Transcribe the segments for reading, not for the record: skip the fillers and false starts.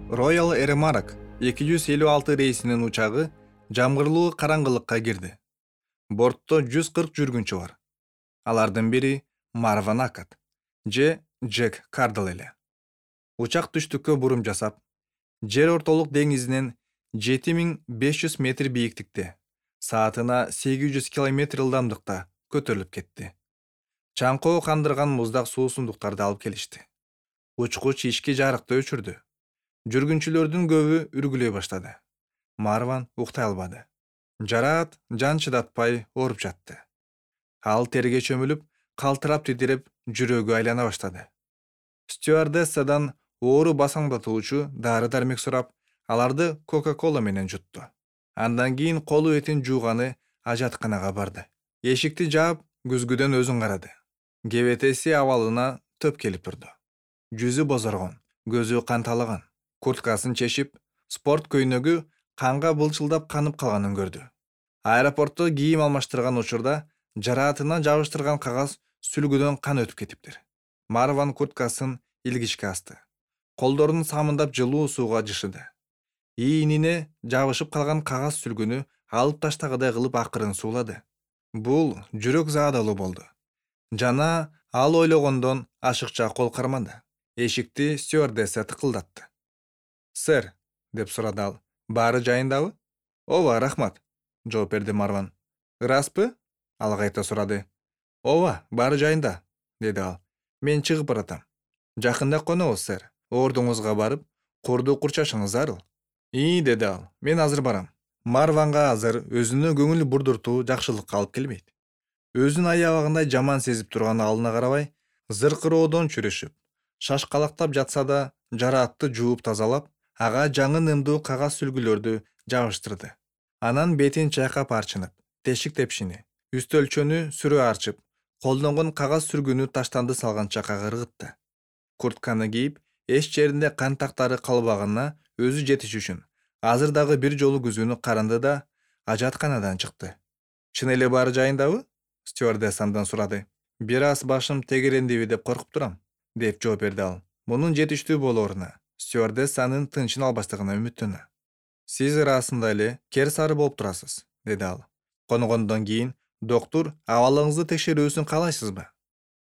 Royal Air Maroc 256 рейсинин учагы жамгырлуу караңгылыкка кирди. Бортто 140 жүргүнчү бар. Алардын бири Марван Акат же Джек Кардл эле. Учак түштүккө бурум жасап, жер ортолук деңизинен 7500 метр бийиктикте, саатына 800 км ылдамдыкта көтөрүлүп кетти. Чаңкоо кандырган муздак суусундуктарды алып келишти. Учкуч ички жарыкты өчүрдү. Жүргүнчүлөрдүн көбү үргүлөй баштады. Марван уктай албады. Жараат жан чыдатпай ооруп жатты. Ал терге чөмүлүп, калтырап титиреп, жүрөгү айлана баштады. Стюардессадан оору басаңдатуучу дары-дармек сурап, аларды Кока-кола менен жутту. Андан кийин колу этин жууганы ажатканага барды. Эшикти жаап, күзгүдөн өзүн карады. Кебетеси абалына төп келип турду. Жүзү бозоргон, көзү канталаган. Курткасын чешип, спорт көйнөгү канга былчылдап канып калганын көрдү. Аэропортто кийим алмаштырган учурда жараатына жабыштырган кагаз сүлгүдөн кан өтүп кетиптир. Марван курткасын илгичке асты. Колдорун самындап жылуу сууга жышыды. Ийинине жабышып калган кагаз сүлгүнү алып таштагыдай кылып акырын суулады. Бул жүрөк заадалуу болду. Жана ал ойлогондон ашыкча кол кармады. Эшикти стюардесса тыкылдатты. «Сэр», деп сурады ал, «баары жайындабы?» «Ооба, рахмат», жооп берди Марван. «Ыраспы?» Ал кайта сурады. «Ооба, баары жайында», деди ал. «Мен чыгып баратам. Жакында конобуз, сэр. Ордуңузга барып, курду курчашыңыз зарыл». Деди ал. «Мен азыр барам». Марванга азыр өзүнө көңүл бурдуртуу жакшылыкка алып келбейт. Өзүн аябагандай жаман сезип турган алына карабай, зыркыроодон чүрүшүп, шашкалактап жатса да, жараатты жууп тазалап, ага жаңы нымдуу кагаз сүлгүлөрдү жабыштырды. Анан бетин чайкап арчынып, тешик тепшини, үстөлчөнү сүрө арчып, колдонгон кагаз сүргүнү таштанды салганча кагыргытты. Куртканы кийип, эч жеринде кан тактары калбаганына өзү жетиш үчүн азыр дагы бир жолу күзгүнү каранды да ажатканадан чыкты. «Чын эле баары жайындабы?» стюардесса андан сурады. «Бир аз башым тегерендиби деп коркуп турам», деп жооп берди ал. Мунун жетиштүү болооруна стюардессанын тынчын албастыгына үмүттөнө. «Сиз ырасында эле керсары болуп турасыз», деди ал. «Конгондон кийин доктур абалыңызды текшерүүсүн каалайсызбы?»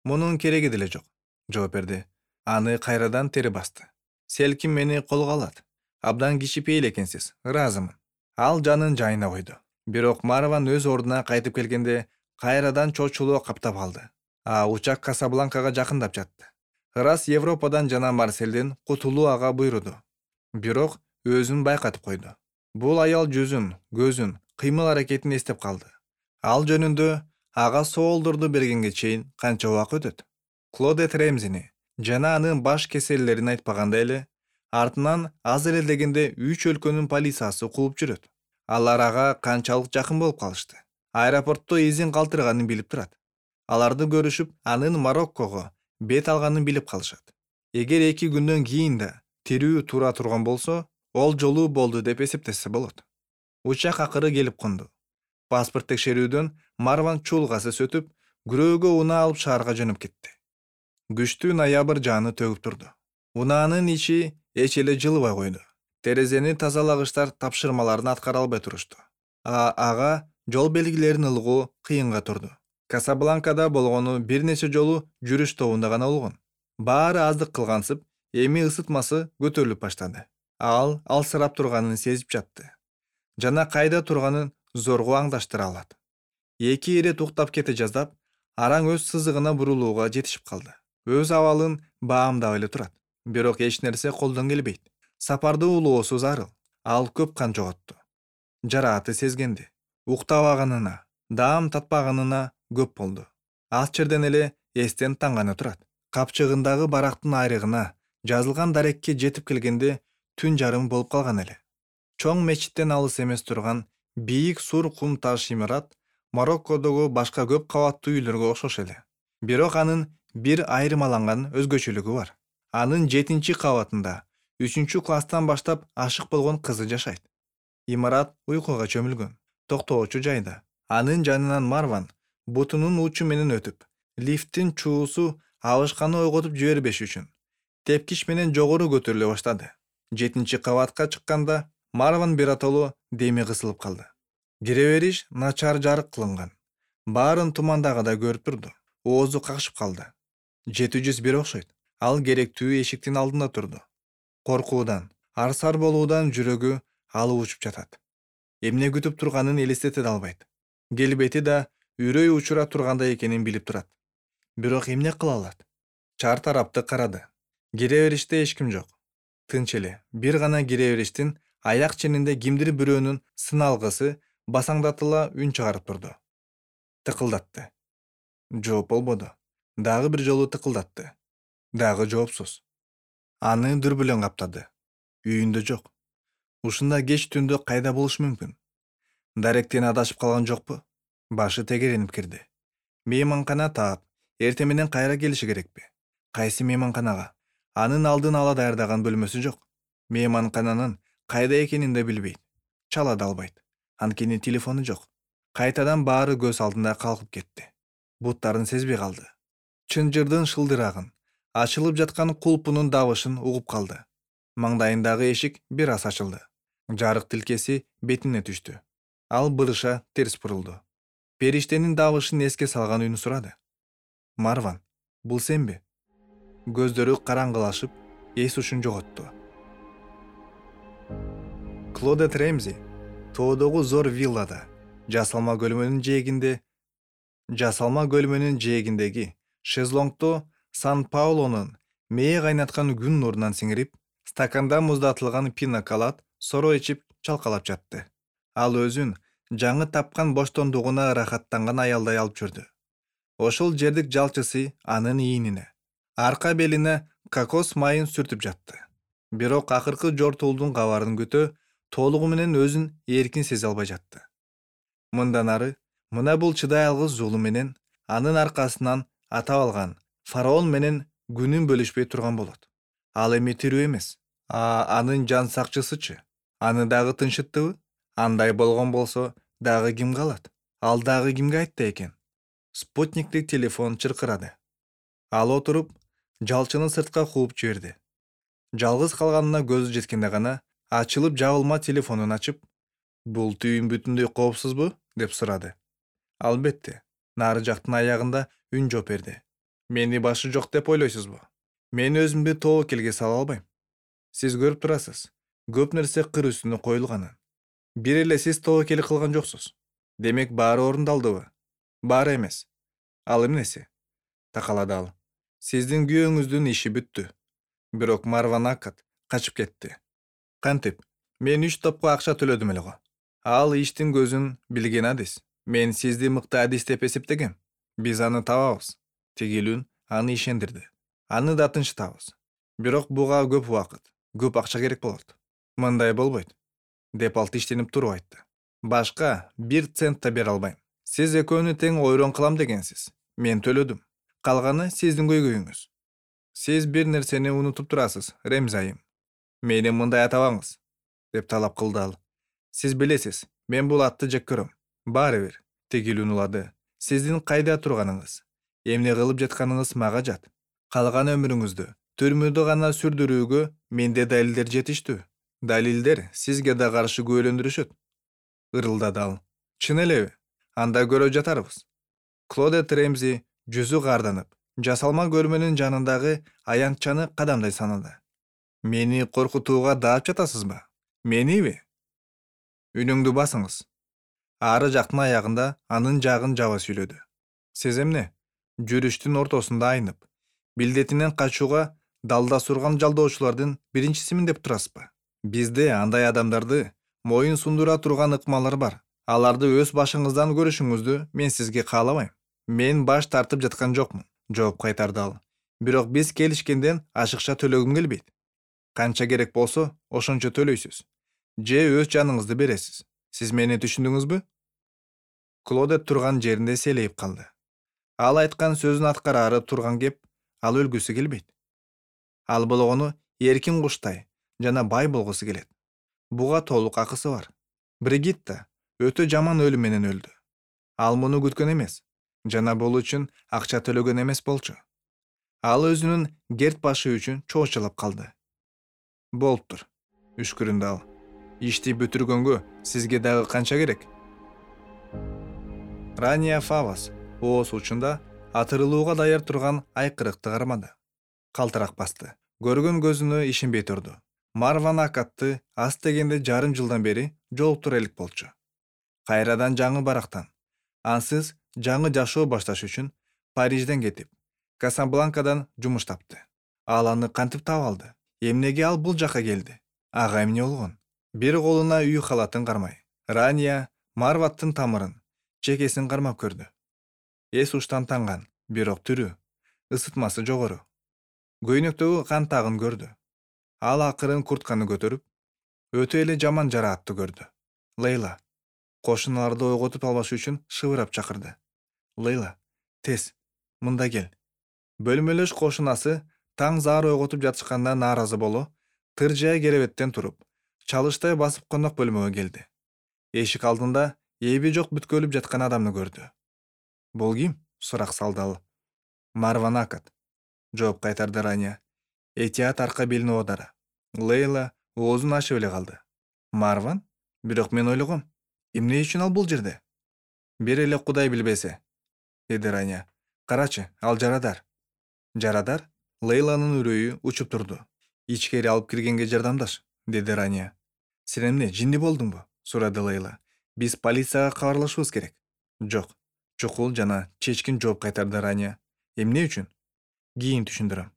«Мунун кереги деле жок», жооп берди. Аны кайрадан тери басты. «Селким мени колго алат. Абдан кичипейил экенсиз, ыраазымын». Ал жанын жайына койду. Бирок Марван өз ордуна кайтып келгенде кайрадан чочулоо каптап алды. Учак Касабланкага жакындап жатты. Ырас Европадан жана Марселден кутулуу ага буйруду. Бирок өзүн байкатып койду. Бул аял жүзүн, көзүн, кыймыл-аракетин эстеп калды. Ал жөнүндө ага соолдорду бергенге чейин канча убакыт өтөт? Клодет Ремзини жана анын баш кеселлерин айтпаганда эле, артынан аз эле дегенде 3 өлкөнүн полициясы кууп жүрөт. Алар ага канчалык жакын болуп калышты. Аэропортто изин калтырганын билип турат. Аларды көрүшүп, анын Мароккого бет алганын билип калышат. Эгер 2 күндөн кийин да тирүү тура турган болсо, ол жолу болду деп эсептесе болот. Учак акыры келип конду. Паспорт текшерүүдөн Марван чуулгасыз өтүп, күрөөгө унаа алып шаарга жөнөп кетти. Күчтүү ноябрь жааны төгүп турду. Унаанын ичи эч эле жылыбай койду. Терезени тазалагычтар тапшырмаларын аткара албай турушту. Ага жол белгилерин ылгуу кыйынга турду. Касабланкада болгону бир нече жолу жүрүш тобунда гана болгон. Баары аздык кылгансып, эми ысытмасы көтөрүлүп баштады. Ал алсырап турганын сезип жатты. Жана кайда турганын зорго аңдаштыра алат. 2 ирет уктап кете жаздап, араң өз сызыгына бурулууга жетишип калды. Өз абалын баамдап эле турат. Бирок эч нерсе колдон келбейт. Сапарды улоосу зарыл. Ал көп кан жоготту. Жарааты сезгенди. Уктабаганына, даам татпаганына көп болду. Ал жерден эле эстен танганы турат. Капчыгындагы барактын айрыгына жазылган дарекке жетип келгенде түн жарым болуп калган эле. Чоң мечиттен алыс эмес турган бийик сур кум таш имарат Мароккодогу башка көп кабаттуу үйлөргө окшош эле. Бирок анын бир айырмаланган өзгөчөлүгү бар. Анын 7-чи кабатында 3-класстан баштап ашык болгон кызы жашайт. Имарат уйкуга чөмүлгөн, токтоочу жайда. Анын жанынан Марван бутунун учу менен өтүп, лифттин чуусу абышканы ойготуп жибербеш үчүн тепкич менен жогору көтөрүлө баштады. 7 кабатка чыкканда Марван биротолу деми кысылып калды. Кире бериш начар жарык кылынган. Баарын тумандагыдай көрүп турду. Оозу какшып калды. 701 окшойт. Ал керектүү эшиктин алдында турду. Коркуудан, арсар болуудан жүрөгү алып учуп жатат. Эмне күтүп турганын элестете албайт. Келбети да үрөй учура тургандай экенин билип турат. Бирок эмне кыла алат? Чар тарапты карады. Кире бериште эч ким жок. Тынч эле. Бир гана кире бериштин аяк ченинде кимдир бирөөнүн сыналгысы басаңдатыла үн чыгарып турду. Тыкылдатты. Жооп болбоду. Дагы бир жолу тыкылдатты. Дагы жоопсуз. Аны дүрбүлөң каптады. Үйүндө жок. Ушунда кеч түндө кайда болуш мүмкүн? Даректен адашып калган жокпу? Башы тегеренип кирди. Мейманкана таап, эртең менен кайра келиши керекпи? Кайсы мейманканага? Анын алдын ала даярдаган бөлмөсү жок. Мейманкананын кайда экенин да билбейт. Чала да албайт. Анткени телефону жок. Кайтадан баары көз алдында калкып кетти. Буттарын сезбей калды. Чынжырдын шылдырагын, ачылып жаткан кулпунун дабышын угуп калды. Маңдайындагы эшик бир аз ачылды. Жарык тилкеси бетине түштү. Ал бырыша терс бурулду. Периштенин дабышын эске салган үн сурады. Марван, бул сенби? Көздөрү караңгылашып, эс ушун жоготту. Клодет Ремзи тоодогу зор виллада, жасалма көлмөнүн жээгиндеги шезлонгдо Сан-Паулонун мээ кайнаткан күн нурунан сиңирип, стаканда муздатылган пинаколад соро ичип чалкалап жатты. Ал өзүн жаңы тапкан боштондугуна ырахаттанган аялдай алып жүрдү. Ошол жердик жалчысы анын ийинине, арка белине кокос майын сүртүп жатты. Бирок акыркы жортуулдун кабарын күтө толугу менен өзүн эркин сезе албай жатты. Мындан ары мына бул чыдай алгыс жолу менен анын аркасынан атап алган фараон менен күнүн бөлүшпөй турган болот. Ал эми тирүү эмес. Анын жан сакчысычы? Аны дагы тынчыттыбы? Андай болгон болсо дагы ким калат? Ал дагы кимге айтты экен? Спутниктик телефон чыркырады. Ал отуруп, жалчыны сыртка кууп жиберди. Жалгыз калганына көзү жеткенде гана ачылып жабылма телефонун ачып, бул түйүн бүтүндөй коопсузбу? Деп сурады. Албетте, нары жактын аягында үн жооп берди. Мени башы жок деп ойлойсузбу? Мен өзүмдү тобокелге сала албайм. Сиз көрүп турасыз, көп нерсе кыр үстүнө коюлганын. Бир эле сиз тобокел кылган жоксуз. Демек баары орундалдыбы? Баары эмес. Ал эмнеси? Такалады ал. Сиздин күйөөңүздүн иши бүттү. Бирок Марван Акат качып кетти. Кантип? Мен 3 топко акча төлөдүм эле го. Ал иштин көзүн билген адис. Мен сизди мыкты адис деп эсептегем. Биз аны табабыз. Тигилүүн аны ишендирди. Аны да тынчтабыз. Бирок буга көп убакыт, көп акча керек болот. Мындай болбойт, деп ал тиштенип туруп айтты. Башка 1 цент да бере албайм. Сиз экөөнү тең ойрон кылам дегенсиз. Мен төлөдүм. Калганы сиздин көйгөйүңүз. Сиз бир нерсени унутуп турасыз, Ремзи айым. Мени мындай атабаңыз, деп талап кылды ал. Сиз билесиз, мен бул атты жек көрөм. Баары бир, Тигилүүн улады. Сиздин кайда турганыңыз, эмне кылып жатканыңыз мага жат. Калган өмүрүңүздү түрмөдө гана сүрдүрүүгө менде далилдер жетиштүү. Далилдер сизге да каршы күбөлөндүрүшөт. Ырылдады ал. Чын элеби? Анда көрө жатарбыз. Клодет Ремзи жүзү карданып, жасалма көлмөнүн жанындагы аянтчаны кадамдай санады. Мени коркутууга даап жатасызбы? Мениби? Үнүңдү басыңыз. Ары жактын аягында анын жагын жаба сүйлөдү. Сиз эмне? Жүрүштүн ортосунда айнып, билдетинен качууга далда сурган жалдоочулардын биринчисимин деп турасызбы? Бизде андай адамдарды моюн сундура турган ыкмалар бар. Аларды өз башыңыздан көрүшүңүздү мен сизге каалабайм. Мен баш тартып жаткан жокмун, жооп кайтарды ал. Бирок биз келишкенден ашыкча төлөгүм келбейт. Канча керек болсо, ошончо төлөйсүз. Же өз жаныңызды бересиз. Сиз мени түшүндүңүзбү? Клодет турган жеринде селейип калды. Ал айткан сөзүн аткарары турган кеп, ал өлгүсү келбейт. Ал болгону эркин куштай жана бай болгусу келет. Буга толук акысы бар. Бригитта өтө жаман өлүм менен өлдү. Ал муну күткөн эмес, жана бул үчүн акча төлөгөн эмес болчу. Ал өзүнүн керт башы үчүн чоочулап калды. Болуптур. Үшкүрүндү ал. Ишти бүтүргөнгө сизге дагы канча керек? Рания Фавас ооз учунда атырылууга даяр турган айкырыкты кармады. Калтырак басты. Көргөн көзүнө ишенбей турду. Марва Накатты аз дегенде жарым жылдан бери жолуктура элек болчу. Кайрадан жаңы барактан. Ансыз жаңы жашоо башташ үчүн Парижден кетип, Касабланкадан жумуш тапты. Ал аны кантип таап алды? Эмнеге ал бул жака келди? Ага эмне болгон? Бир колуна үй халатын кармай, Рания Марваттын тамырын, чекесин кармап көрдү. Эс уштан танган, бирок түрү, ысытмасы жогору. Көйнөктөгү кан тагын көрдү. Ал акырын куртканы көтөрүп, өтө эле жаман жараатты көрдү. Лейла, кошуналарды ойготуп албаш үчүн шыбырап чакырды. Лейла, тез, мында кел. Бөлмөлөш кошунасы таң заар ойготуп жатышканда нааразы боло, тыржая керебеттен туруп, чалыштай басып конок бөлмөгө келди. Эшик алдында эби жок бүткөлүп жаткан адамды көрдү. Бул ким? Сурак салды ал. Марва Накат, жооп кайтарды Рания. Этият арка белине оодары. Лейла оозун ачып эле калды. Марван? Бирок мен ойлогом, эмне үчүн ал бул жерде? Бир эле Кудай билбесе, деди Рания. Карачы, ал жарадар. Жарадар? Лейланын үрөйү учуп турду. Ичкери алып киргенге жардамдаш, деди Рания. Сен эмне, жинди болдуңбу? Сурады Лейла. Биз полицияга кабарлашыбыз керек. Жок, чукул жана чечкин жооп кайтарды Рания. Эмне үчүн? Кийин түшүндүрөм.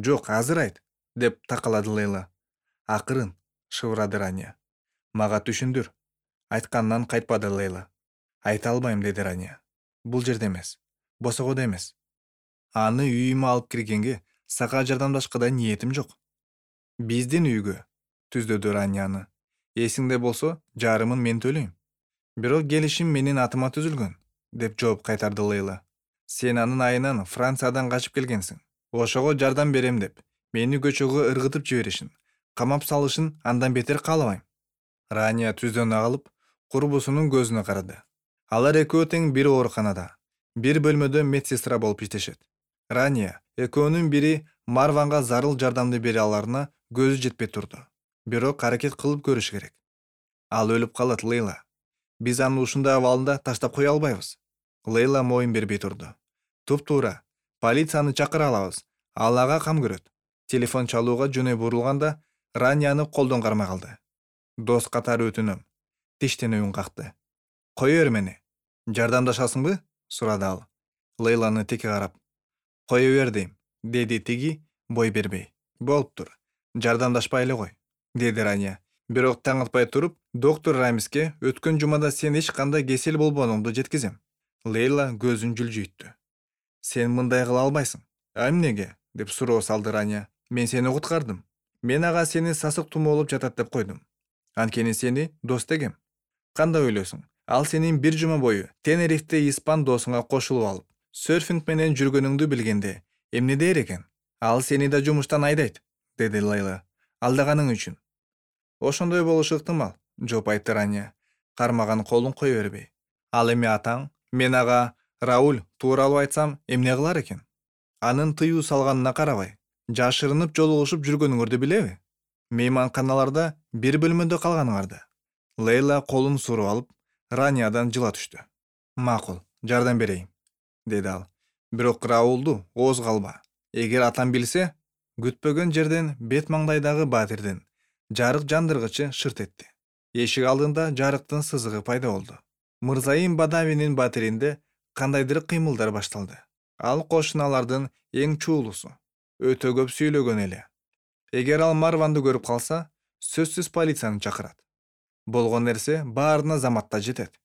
Жок, азыр айт, деп такалады Лейла. Акырын, шыбырады Рания. Мага түшүндүр. Айткандан кайтпады Лейла. Айта албайм, деди Рания. Бул жерде эмес, босогодо эмес. Аны үйүмө алып киргенге сага жардамдашка да ниетим жок. Биздин үйгө, түздөдү Ранияны. Эсиңде болсо, жарымын мен төлөйм. Бирок келишим менин атыма түзүлгөн, деп жооп кайтарды Лейла. Сен анын айынан Франциядан качып келгенсиң. Ошого жардам берем деп, мени көчөгө ыргытып жиберишин, камап салышын андан бетер каалабайм. Рания түздөнө калып, курбусунун көзүнө карады. Алар экөө тең бир ооруканада, бир бөлмөдө медсестра болуп иштешет. Рания экөөнүн бири Марванга зарыл жардамды бере аларына көзү жетпей турду. Бирок аракет кылып көрүш керек. Ал өлүп калат, Лейла. Биз аны ушундай абалында таштап кое албайбыз. Лейла моюн бербей турду. Туп-туура. Полицияны чакыра алабыз. Ал ага кам көрөт. Телефон чалууга жөнөй бурулганда Ранияны колдон кармай калды. Дос катары өтүнөм. Тиштенүү үн какты. Кое бер мени. Жардамдашасыңбы? Сурады ал. Лейланы теке карап. Кое бер дейм, деди тиги бой бербей. Болуптур. Жардамдашпай эле кой, деди Рания. Бирок таң атпай туруп, доктор Рамиске өткөн жумада сен эч кандай кесел болбооңду жеткизем. Лейла көзүн жүлжүйттү. Сен мындай кыла албайсың. Эмнеге? Деп суроо салды Рания. Мен сени куткардым. Мен ага сени сасык тумоолоп жатат деп койдум. Анткени сени дос дегем. Кандай ойлойсуң? Ал сенин бир жума бою Тенерифте испан досуңа кошулуп алып, серфинг менен жүргөнүңдү билгенде эмне дээр экен? Ал сени да жумуштан айдайт, деди Лейла. Алдаганың үчүн. Ошондой болушу ыктымал, жооп айтты Рания, кармаган колун кое бербей. Ал эми атаң, мен ага Рауль тууралуу айтсам эмне кылар экен? Анын тыюу салганына карабай, жашырынып жолугушуп жүргөнүңөрдү билеби? Мейманканаларда бир бөлмөдө калганыңарды. Лейла колун суруп алып, Раниядан жыла түштү. Макул, жардам берейин, деди ал. Бирок Раулду ооз калба. Эгер атам билсе, күтпөгөн жерден бет маңдайдагы батирдин жарык жандыргычы шырт этти. Эшик алдында жарыктын сызыгы пайда болду. Мырзайым Бадавинин батиринде кандайдыр кыймылдар башталды. Ал кошуналардын эң чуулусу. Өтө көп сүйлөгөн эле. Эгер ал Марванды көрүп калса, сөзсүз полицияны чакырат. Болгон нерсе баарына заматта жетет.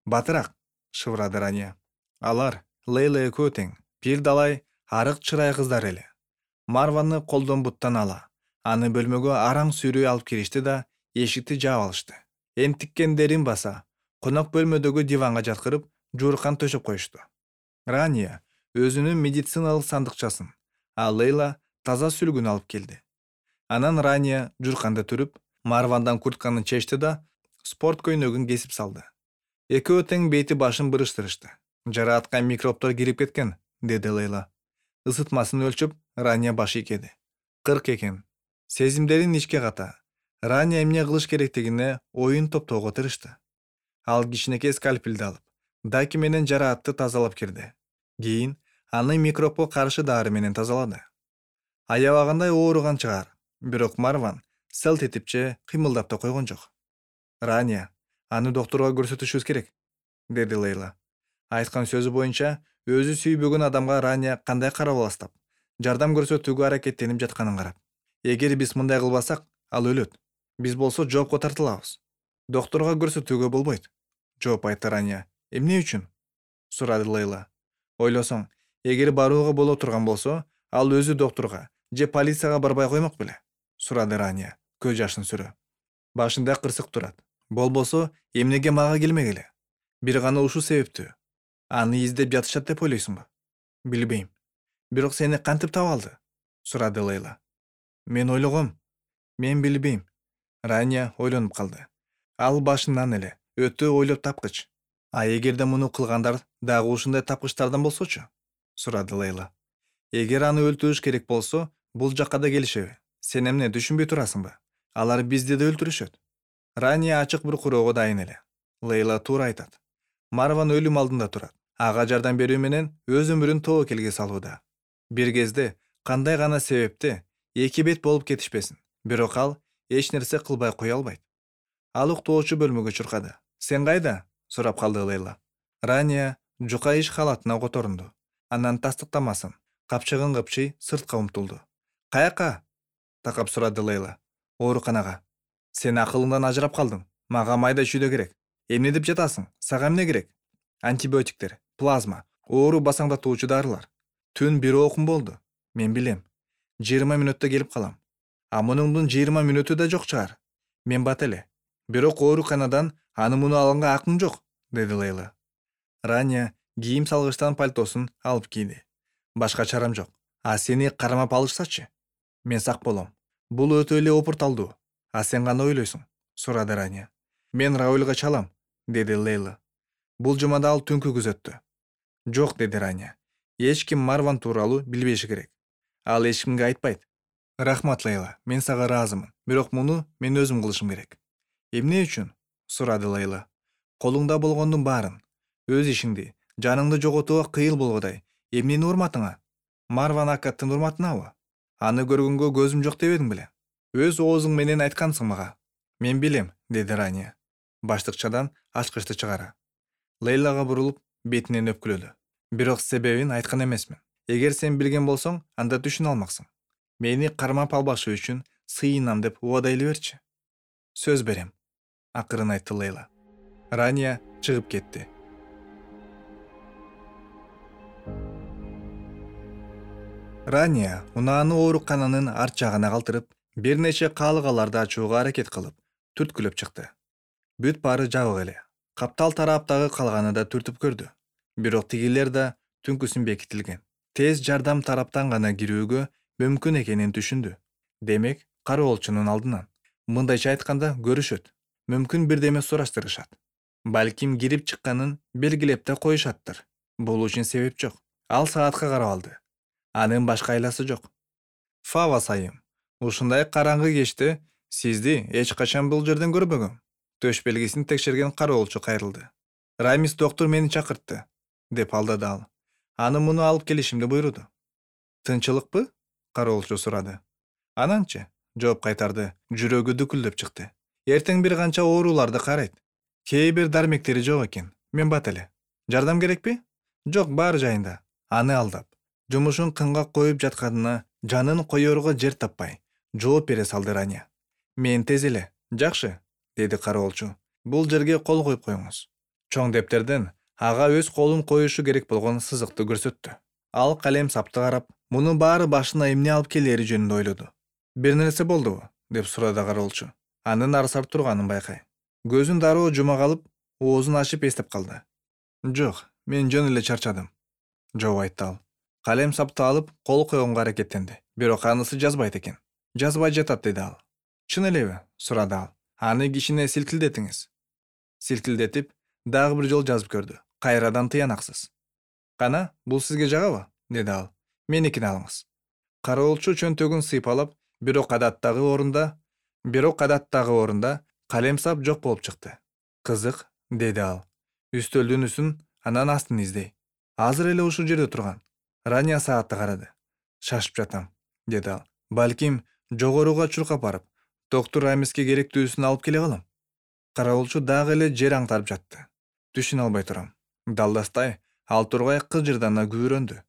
Батыраак, шыбырады Рания. Алар Лейла экөө тең, бир далай арык чырай кыздар эле. Марваны колдон буттан ала, аны бөлмөгө араң сүйрөй алып киришти да эшикти жаап алышты. Энтиккендерин баса, конок бөлмөдөгү диванга жаткырып, жууркан төшөп коюшту. Рания өзүнүн медициналык сандыкчасын, а Лейла таза сүлгүн алып келди. Анан Рания жуурканда түрүп, Марвандан куртканы чечти да спорт көйнөгүн кесип салды. Экөө тең бети башын бырыштырышты. Жараатка микробтор кирип кеткен, деди Лейла. Isытмасын өлчөп, Рания баш ийкеди. 40 экен. Сезимдерин ичке ката. Рания эмне кылыш керектигине оюн топтоого тырышты. Ал кичинекей скальпелди алып, даки менен жараатты тазалап кирди. Кийин аны микробко каршы дары менен тазалады. Аябагандай ооруган чыгар, бирок Марван селт этип же кыймылдап да койгон жок. Рания, аны доктурга көрсөтүшүбүз керек, деди Лейла. Айткан сөзү боюнча өзү сүйбөгөн адамга Рания кандай карап аластап, жардам көрсөтүүгө аракеттенип жатканын карап. Эгер биз мындай кылбасак, ал өлөт. Биз болсо жоопко тартылабыз. Доктурга көрсөтүүгө болбойт, жооп айтты Рания. Эмне үчүн? Сурады Лейла. Ойлосоң, эгер барууга боло турган болсо, ал өзү доктурга же полицияга барбай коймок беле? Сурады Рания, көз жашын сүрө. Башында кырсык турат. Болбосо, эмнеге мага келмегиле? Бир гана ушул себептүү. Аны издеп жатышат деп ойлойсуңбу? Билбейм. Бирок сени кантип таап алды? Сурады Лейла. Мен ойлогом. Мен билбейм. Рания ойлонуп калды. Ал башынан эле өтө ойлоп тапкыч. А эгерде муну кылгандар дагы ушундай тапкычтардан болсочу? Сурады Лейла. Эгер аны өлтүрүш керек болсо, бул жакка да келишеби? Сен эмне түшүнбөй турасыңбы? Алар бизди да өлтүрүшөт. Рания ачык бир куроого дайын эле. Лейла туура айтат. Марван өлүм алдында турат. Ага жардам берүү менен өз өмүрүн тобокелге салууда. Бир кезде кандай гана себепте эки бет болуп кетишпесин, бирок ал эч нерсе кылбай кое албайт. Ал уктоочу бөлмөгө чуркады. Сен кайда? Сурап калды Лейла. Рания жука иш халатына которунду. Анан тастыктамасын, капчыгын кыпчый сыртка умтулду. Каяка? Такап сурады Лейла. Ооруканага. Сен акылыңдан ажырап калдың. Мага майда чүйдө керек. Эмне деп жатасың? Сага эмне керек? Антибиотиктер, плазма, оору басаңдатуучу дарылар. Түн бир окум болду. Мен билем. 20 мүнөттө келип калам. А мунуңдун 20 мүнөтү да жок чыгар. Мен бат эле. Бирок ооруканадан аны муну алганга акың жок, деди Лейла. Рания кийим салгычтан пальтосун алып кийди. Башка чарам жок. А сени кармап алышсачы? Мен сак болом. Бул өтө эле опурталдуу. А сен кандай ойлойсуң? Сурады Рания. Мен Раулга чалам, деди Лейла. Бул жумада ал түнкү күзөттү. Жок, деди Рания. Эч ким Марван тууралуу билбеши керек. Ал эч кимге айтпайт. Рахмат, Лейла. Мен сага ыраазымын. Бирок муну мен өзүм кылышым керек. Эмне үчүн? Сурады Лейла. Колуңда болгондун баарын, өз ишиңди, жаныңды жоготууга кыйыл болгодай, эмненин урматыңа? Марван Акаттын урматынабы? Аны көргөнгө көзүм жок дебедиң беле? Өз оозуң менен айткансың мага. Мен билем, деди Рания. Баштыкчадан ачкычты чыгара. Лейлага бурулуп, бетинен өпкүлөдү. Бирок себебин айткан эмесмин. Эгер сен билген болсоң, анда түшүнө алмаксың. Мени кармап албашы үчүн сыйынам деп убадай эле берчи. Сөз берем, акырын айтты Лейла. Рания чыгып кетти. Рания унааны оорукананын арт жагына калтырып, бир нече каалыгаларды ачууга аракет кылып, түрткүлөп чыкты. Бүт баары жабык эле. Каптал тараптагы калганы да түртүп көрдү. Бирок тигилер да түнкүсүн бекитилген. Тез жардам тараптан гана кирүүгө мүмкүн экенин түшүндү. Демек, кароолчунун алдынан. Мындайча айтканда көрүшөт. Мүмкүн бирдеме сураштырышат. Балким кирип чыкканын белгилеп да коюшаттыр. Бул үчүн себеп жок. Ал саатка карап алды. Анын башка айласы жок. Фава сайым, ушундай караңгы кечте сизди эч качан бул жерден көрбөгөм. Төш белгисин текшерген кароолчу кайрылды. Рамис доктор мени чакыртты, деп алдады ал. Аны муну алып келишимди буйруду. Тынчылыкпы? Кароолчу сурады. Ананчы, жооп кайтарды, жүрөгү дүкүлдөп чыкты. Эртең бир канча ооруларды карайт. Кээ бир дармектери жок экен. Мен бат эле. Жардам керекпи? Жок, баары жайында. Аны алдап, жумушун кынга коюп жатканына жанын коерго жер таппай, жооп бере салды Рания. Мен тез эле. Жакшы, деди кароолчу. Бул жерге кол коюп коюңуз. Чоң дептерден ага өз колун коюшу керек болгон сызыкты көрсөттү. Ал калем сапты карап, мунун баары башына эмне алып келери жөнүндө ойлоду. Бир нерсе болдубу? Деп сурады кароолчу. Анын арсап турганын байкай. Көзүн дароо жума калып, оозун ачып эстеп калды. Жок, мен жөн эле чарчадым, жооп айтты ал. Калем сапты алып, кол койгонго аракеттенди. Бирок анысы жазбайт экен. Жазбай жатат, деди ал. Чын элеби? Сурады ал. Аны кичине силкилдетиңиз. Силкилдетип, дагы бир жол жазып көрдү. Кайрадан тыянаксыз. Кана, бул сизге жагабы? Деди ал. Меникини алыңыз. Кароолчу чөнтөгүн сыйпалап, бирок адаттагы орунда Бирок адаттагы орунда калем-сап жок болуп чыкты. Кызык, деди ал. Үстөлдүн үстүн, анан астын издей. Азыр эле ушул жерде турган. Рания саатты карады. Шашып жатам, деди ал. Балким жогоруга чуркап барып, доктор Рамиске керектүүсүн алып келе калам. Кароолчу дагы эле жер аңтарып жатты. Түшүнө албай турам. Далдастай ал тургай кыжырдана күбүрөндү.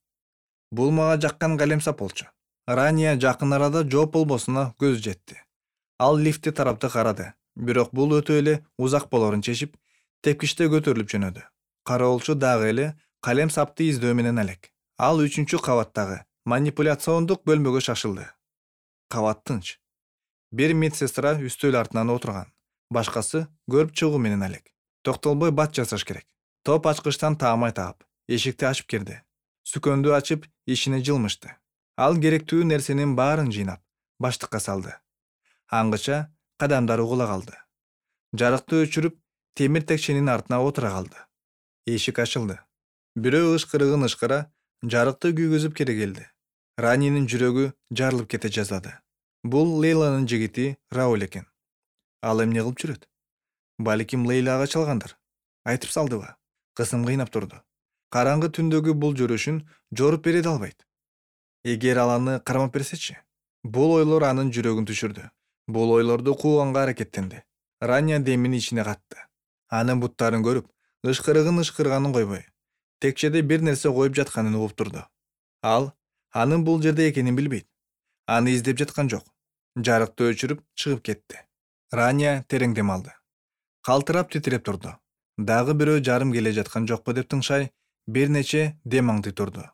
Бул мага жаккан калем-сап болчу. Рания жакын арада жооп болбосуна көз жетти. Ал лифти тарапты карады, бирок бул өтө эле узак болорун чечип, тепкичте көтөрүлүп жөнөдү. Кароолчу дагы эле калем-сапты издөө менен алек. Ал 3-кабаттагы манипуляциондук бөлмөгө шашылды. Кабат тынч. Бир медсестра үстөл артынан отурган, башкасы көрүп чыгуу менен алек. Токтолбой бат жасаш керек. Топ ачкычтан таамай таап, эшикти ачып кирди. Сүкөндү ачып, ишине жылмышты. Ал керектүү нерсенин баарын жыйнап, баштыкка салды. Аңгыча кадамдары угула калды. Жарыкты өчүрүп, темир текченин артына отура калды. Эшик ачылды. Бирөө ышкырыгын ышкыра, жарыкты күйгүзүп кире келди. Ранинин жүрөгү жарылып кете жаздады. Бул Лейланын жигити Рауль экен. Ал эмне кылып жүрөт? Балким Лейлага чалгандыр. Айтып салдыбы? Кысым кыйнап турду. Караңгы түндөгү бул жүрүшүн жоруп бере албайт. Эгер ал аны кармап берсечи? Бул ойлор анын жүрөгүн түшүрдү. Бул ойлорду кууганга аракеттенди. Рания демин ичине катты. Анын буттарын көрүп, ышкырыгын ышкырганын койбой, текчеде бир нерсе коюп жатканын угуп турду. Ал анын бул жерде экенин билбейт. Аны издеп жаткан жок. Жарыкты өчүрүп чыгып кетти. Рания терең дем алды. Калтырап титиреп турду. Дагы бирөө жарым келе жаткан жокпу деп тыңшай, бир нече дем аңдый турду.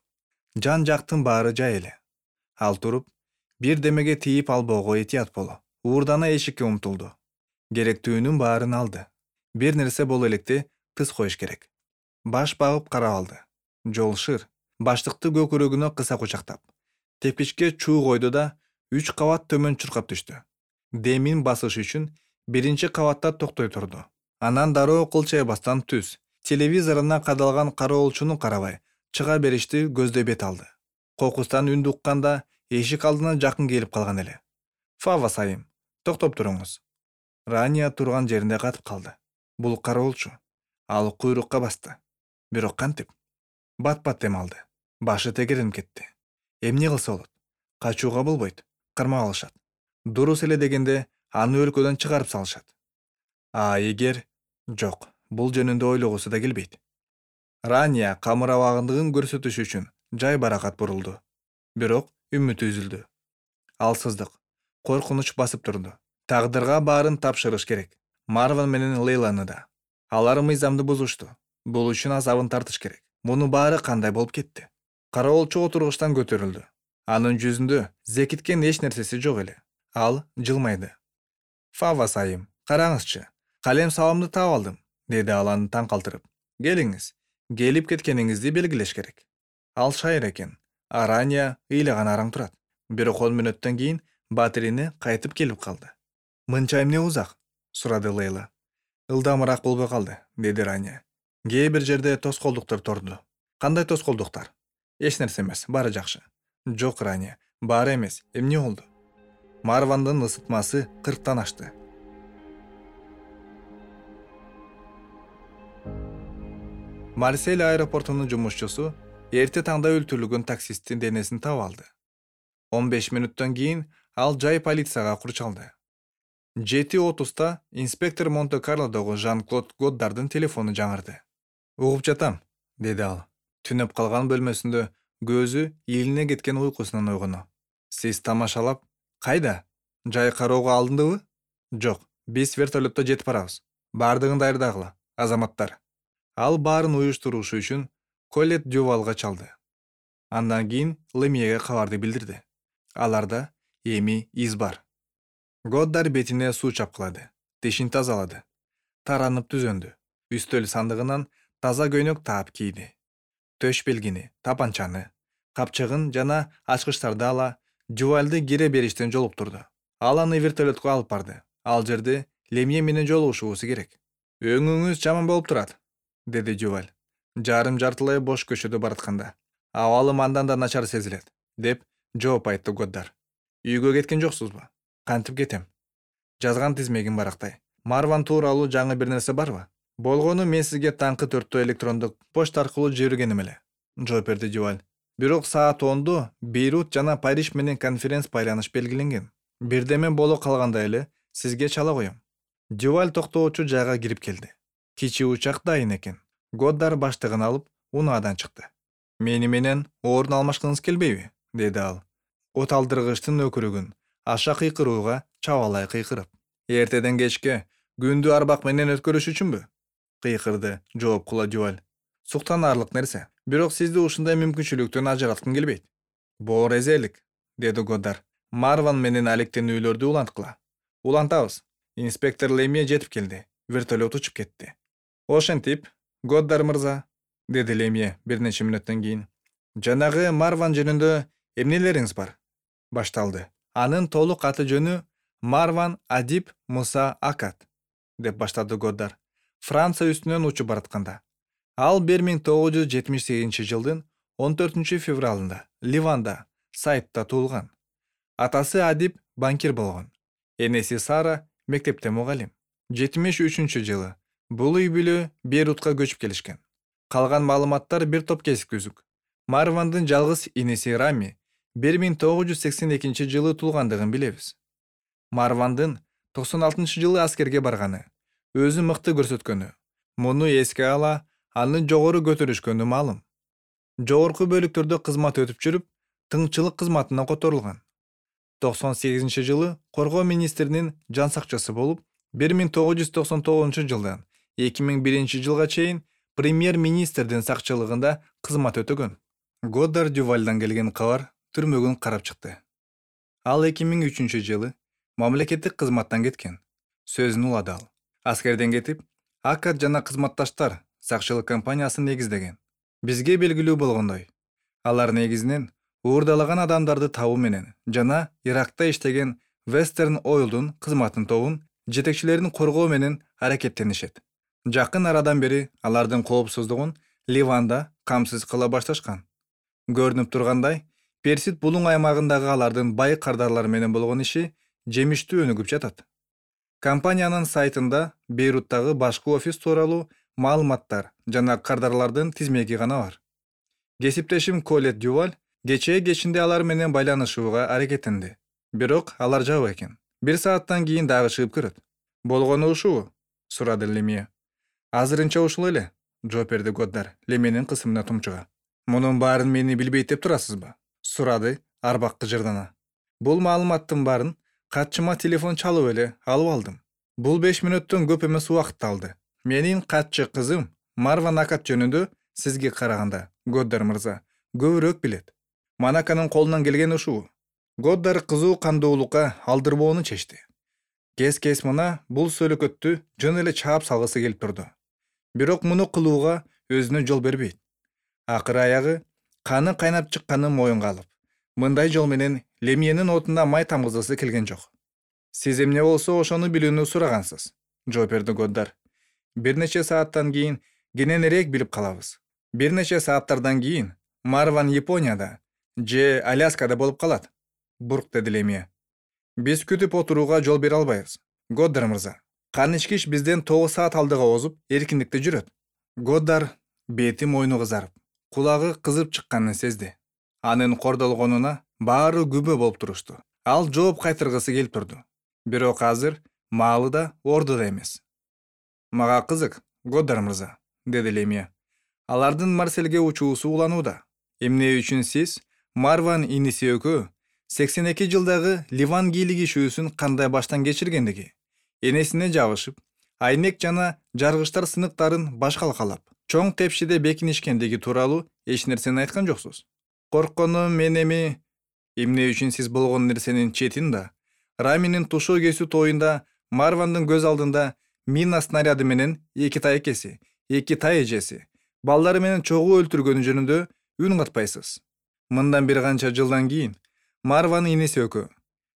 Жан жактын баары жай эле. Ал туруп, бир демеге тийип албоого этият боло. Уурдана эшикке умтулду. Керектүүнүн баарын алды. Бир нерсе боло электе тыз коюш керек. Баш багып карап алды. Жол шыр. Баштыкты көкүрөгүнө кыса кучактап, тепкичке чуу койду да 3 кабат төмөн чуркап түштү. Демин басыш үчүн 1-кабатта токтой турду. Анан дароо кылчайбастан түз телевизоруна кадалган кароолчуну карабай чыга беришти көздөй бет алды. Кокустан үндү укканда эшик алдына жакын келип калган эле. Фава сайым, токтоп туруңуз. Рания турган жеринде катып калды. Бул кароолчу. Ал куйрукка басты. Бирок кантип? Бат-бат дем алды. Башы тегеренип кетти. Эмне кылса болот? Качууга болбойт. Кармап алышат. Дурус эле дегенде аны өлкөдөн чыгарып салышат. Эгер жок, бул жөнүндө ойлогусу да келбейт. Рания камырабагындыгын көрсөтүш үчүн жай баракат бурулду. Бирок үмүтү үзүлдү. Алсыздык, коркунуч басып турду. Тагдырга баарын тапшырыш керек. Марван менен Лейланы да. Алар мыйзамды бузушту. Бул үчүн азабын тартыш керек. Муну баары кандай болуп кетти? Кароолчу отургучтан көтөрүлдү. Анын жүзүндө зекиткен эч нерсеси жок эле. Ал жылмайды. Фава сайым, караңызчы. Калем сабамды таап алдым, деди ал аны таң калтырып. Келиңиз, келип кеткениңизди белгилеш керек. Ал шайыр экен. Рания ыйлаган араң турат. Бирок 10 мүнөттөн кийин батирене кайтып келип калды. Мынча эмне узак? Сурады Лейла. Ылдамыраак болбой калды, деди Рания. Кээ бир жерде тоскоолдуктар торду. Кандай тоскоолдуктар? Эч нерсе эмес, баары жакшы. Жок, Рания, баары эмес. Эмне болду? Марвандын ысытмасы 40тан ашты. Марсель аэропортунун жумушчусу эрте таңда өлтүрүлгөн таксисттин денесин таап алды. 15 мүнөттөн кийин ал жай полицияга курчалды. 7:30 инспектор Монте-Карлодогу Жан-Клод Годдардын телефону жаңырды. Угуп жатам, деди ал. Түнөп калган бөлмөсүндө көзү илине кеткен уйкусунан ойгону. Сиз тамашалап, кайда? Жай кароого алындыбы? Жок, биз вертолетто жетип барабыз. Бардыгын даярдагыла, азаматтар. Ал баарын уюштурушу үчүн Колет Дювалга чалды. Андан кийин Лемьеге кабарды билдирди. Аларда эми из бар. Годдар бетине суу чапкылады, тишин тазалады. Таранып түзөндү. Үстөл сандыгынан таза көйнөк таап кийди. Төш белгини, тапанчаны, капчыгын жана ачкычтарды ала, Дювалды кире бериштен жолуктурду. Ал аны вертолетко алып барды. Ал жерде Лемье менен жолугушуусу керек. Өңүңүз жаман болуп турат, деди Дюваль. Жарым жартылай бош көчөдө баратканда. Абалым андан да начар сезилет, деп жооп айтты Годдар. Үйгө кеткен жоксузбу? Кантип кетем? жазган тизмегин барактай. Марван тууралуу жаңы бир нерсе барбы? Болгону мен сизге таңкы 4 электрондук почта аркылуу жибергеним эле, жооп берди Дюваль. Бирок саат 10 Бейрут жана Париж менен конференц байланыш белгиленген. Бирдеме боло калганда эле сизге чала коем. Дюваль токтоочу жайга кирип келди. Кичи учак дайын экен. Годдар баштыгын алып, унаадан чыкты. Мени менен орун алмашкыңыз келбейби? Деди ал. От алдыргычтын өкүрүгүн аша кыйкырууга чабалай кыйкырып. Эртеден кечке күндү арбак менен өткөрүш үчүнбү? Кыйкырды жооп кыла Дюваль. Суктанаарлык нерсе. Бирок сизди ушундай мүмкүнчүлүктөн ажыраткым келбейт. Боор эзелик, деди Годдар. Марван менен алектенүүлөрдү уланткыла. Улантабыз. Инспектор Лемье жетип келди. Вертолет учуп кетти. Ошентип, Годдар мырза, деди Лемье бир нече мүнөттөн кийин. Жанагы Марван жөнүндө эмнелериңиз бар? Башталды. Анын толук аты жөнү Марван Адиб Муса Акат, деп баштады Годдар. Франция үстүнөн учуп баратканда. Ал 1978 жылдын 14 февралында Ливанда, Сайтта туулган. Атасы Адиб банкир болгон. Энеси Сара мектепте мугалим. 73 жылы бул үй бүлө Бейрутка көчүп келишкен. Калган маалыматтар бир топ кесик түзүк. Марвандын жалгыз инеси Рами 1982 жылы туулгандыгын билебиз. Марвандын 96 жылы аскерге барганы, өзү мыкты көрсөткөнү. Муну эске ала, аны жогору көтөрүшкөнү маалым. Жогорку бөлүктөрдө кызмат өтүп жүрүп, тыңчылык кызматына которулган. 98 жылы коргоо министринин жан сакчысы болуп, 1999 жылдан 2001 жылга чейин премьер-министрдин сакчылыгында кызмат өтөгөн. Годдар Дювальдан келген кабар түрмөгүн карап чыкты. Ал 2003 жылы мамлекеттик кызматтан кеткен. Сөзүн улады ал. Аскерден кетип, Акат жана кызматташтар сакчылык компаниясын негиздеген. Бизге белгилүү болгондой, алар негизинен уурдалаган адамдарды табуу менен жана Иракта иштеген Western Oil'дун кызматын тобун жетекчилерин коргоо менен аракеттенишет. Жакын арадан бери алардын коопсуздугун Ливанда камсыз кыла башташкан. Көрүнүп тургандай, Персид булуң аймагындагы алардын бай кардарлар менен болгон иши жемиштүү өнүгүп жатат. Компаниянын сайтында Бейруттагы башкы офис тууралуу маалыматтар жана кардарлардын тизмеги гана бар. Кесиптешим Колет Дюваль кечээ кечинде алар менен байланышууга аракеттенди. Бирок алар жабык экен. Бир сааттан кийин дагы чыгып көрөт. Болгону ушубу? Сурады Лемье. Азырынча ушул эле, жооп берди Годдар Лемьенин кысымына тумчуга. Мунун баарын мени билбейт деп турасызбы? Сурады арбак кыжырдана. Бул маалыматтын баарын катчыма телефон чалып эле алып алдым. Бул 5 мүнөттөн көп эмес убакытты алды. Менин катчы кызым Марван Акат жөнүндө сизге караганда, Годдар мырза, көбүрөөк билет. Манаканын колунан келген ушул. Годдар кызуу кандуулукка алдырбоону чечти. Кес мына бул сөөлөкөттү жөн эле чаап салгысы келип турду. Бирок муну кылууга өзүнө жол бербейт. Акыры аягы каны кайнап чыкканын моюнга алып, мындай жол менен Лемьенин отуна май тамгызгысы келген жок. Сиз эмне болсо ошону билүүнү сурагансыз, жооп берди Годдар. Бир нече сааттан кийин кененирээк билип калабыз. Бир нече сааттардан кийин Марван Японияда же Аляскада болуп калат, бурк деди Лемье. Биз күтүп отурууга жол бере албайбыз. Годдар мырза, Канычкич бизден 9 саат алдыга озуп, эркиндикте жүрөт. Годдар бети мойну кызарып, кулагы кызып чыкканын сезди. Анын кордолгонуна баары күбө болуп турушту. Ал жооп кайтыргысы келип турду. Бирок азыр маалы да ордуда эмес. Мага кызык, Годдар мырза, деди Лемье. Алардын Марселге учуусу уланууда. Эмне үчүн сиз Марван иниси экөө 82 жылдагы Ливан кийлик ишүүсүн кандай баштан кечиргендиги, энесине жабышып, айнек жана жаргычтар сыныктарын башкалкалап, чоң тепшиде бекинишкендиги тууралуу эч нерсени айткан жоксуз. Коркконум мен эмне үчүн сиз болгон нерсенин четин да, Раминин тушоо кесүү тоюнда Марвандын көз алдында мина снаряды менен 2 тайкеси, 2 тай эжеси, балдары менен чогуу өлтүргөнү жөнүндө үн катпайсыз. Мындан бир канча жылдан кийин Марван иниси экөө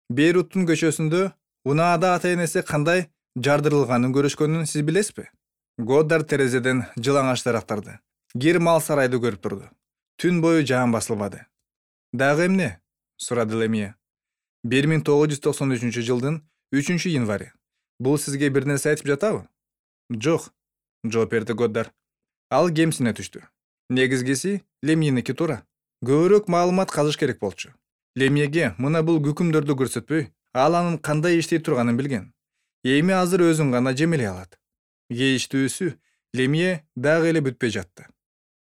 Бейруттун көчөсүндө унаада ата-энеси кандай жардырылганын көрүшкөнүн сиз билесизби? Годдар терезеден жылаңач дарактарды, кир мал сарайды көрүп турду. Түн бою жаан басылбады. Дагы эмне? Сурады Лемье. 1993 жылдын 3 январь. Бул сизге бир нерсе айтып жатабы? Жок, жооп берди Годдар. Ал кемсине түштү. Негизгиси Лемьеники туура. Көбүрөөк маалымат казыш керек болчу. Лемьеге мына бул күкүмдөрдү көрсөтпөй, ал анын кандай иштей турганын билген. Эми азыр өзүн гана жемелей алат. Кейиштүүсү Лемье дагы эле бүтпөй жатты.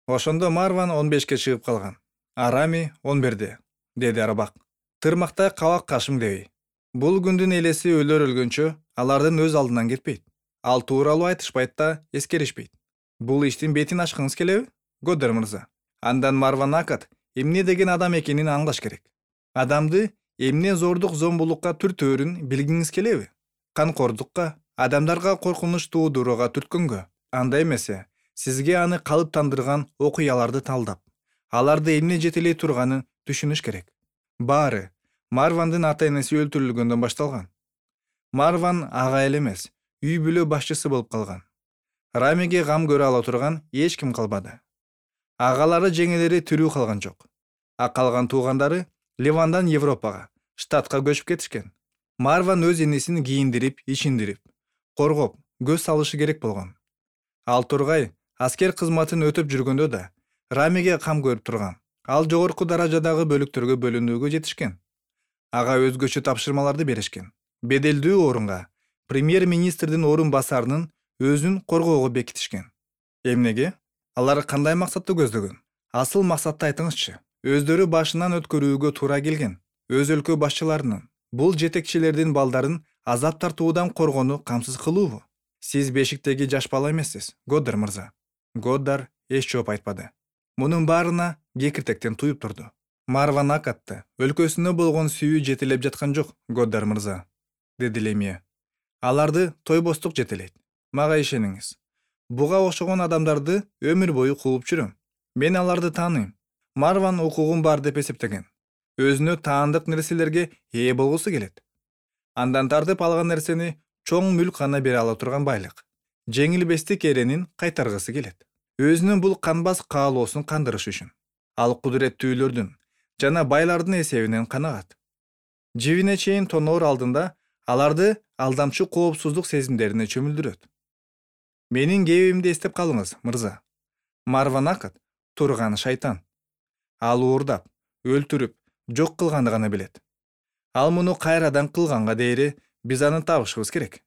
Ошондо Марван 15ке чыгып калган. Арами 11-де, деди Арбак. Тырмактай кабак кашым дебей. Бул күндүн элеси өлөр өлгөнчө алардын өз алдынан кетпейт. Ал тууралуу айтышпайт да, эскеришпейт. Бул иштин бетин ачкыңыз келеби, Годдар мырза? Андан Марван Акат эмне деген адам экенин аңлаш керек. Адамды эмне зордук зомбулукка түртөөрүн билгиңиз келеби? Канкордукка, адамдарга коркунуч туудурууга түрткөнгө. Андай эмесе, сизге аны калыптандырган окуяларды талдап, аларды эмне жетелей турганын түшүнүш керек. Баары Марвандын ата-энеси өлтүрүлгөндөн башталган. Марван ага эле эмес, үй бүлө башчысы болуп калган. Рамиге кам көрө ала турган эч ким калбады. Агалары жеңелери тирүү калган жок. А калган туугандары Ливандан Европага, штатка көчүп кетишкен. Марван өз энесин кийиндирип, ичиндирип, коргоп, көз салышы керек болгон. Ал тургай аскер кызматын өтөп жүргөндө да Рамиге кам көрүп турган. Ал жогорку даражадагы бөлүктөргө бөлүнүүгө жетишкен. Ага өзгөчө тапшырмаларды беришкен. Беделдүү орунга премьер-министрдин орун басарынын өзүн коргоого бекитишкен. Эмнеге? Алар кандай максатты көздөгөн? Асыл максатты айтыңызчы. Өздөрү башынан өткөрүүгө туура келген өз өлкө башчыларынын, бул жетекчилердин балдарын азап тартуудан коргоону камсыз кылуубу? Сиз бешиктеги жаш бала эмессиз, Годдар мырза. Годдар эч жооп айтпады. Мунун баарына кекиртектен туюп турду. Марван Акатты өлкөсүнө болгон сүйүү жетелеп жаткан жок, Годдар мырза, деди Лемье. Аларды тойбостук жетелейт. Мага ишениңиз. Буга окшогон адамдарды өмүр бою кууп жүрөм. Мен аларды тааныйм. Марван укугум бар деп эсептеген. Өзүнө таандык нерселерге ээ болгусу келет. Андан тартып алган нерсени чоң мүлк гана бере ала турган байлык. Жеңилбестик эренин кайтаргысы келет. Өзүнүн бул канбас каалоосун кандырыш үчүн. Ал кудуреттүүлөрдүн жана байлардын эсебинен канагат. Жибине чейин тоноор алдында аларды алдамчы коопсуздук сезимдерине чөмүлдүрөт. Менин кебимди эстеп калыңыз, мырза. Марван Акат турган шайтан. Ал уурдап, өлтүрүп, жок кылганды гана билет. Ал муну кайрадан кылганга дейри биз аны табышыбыз керек.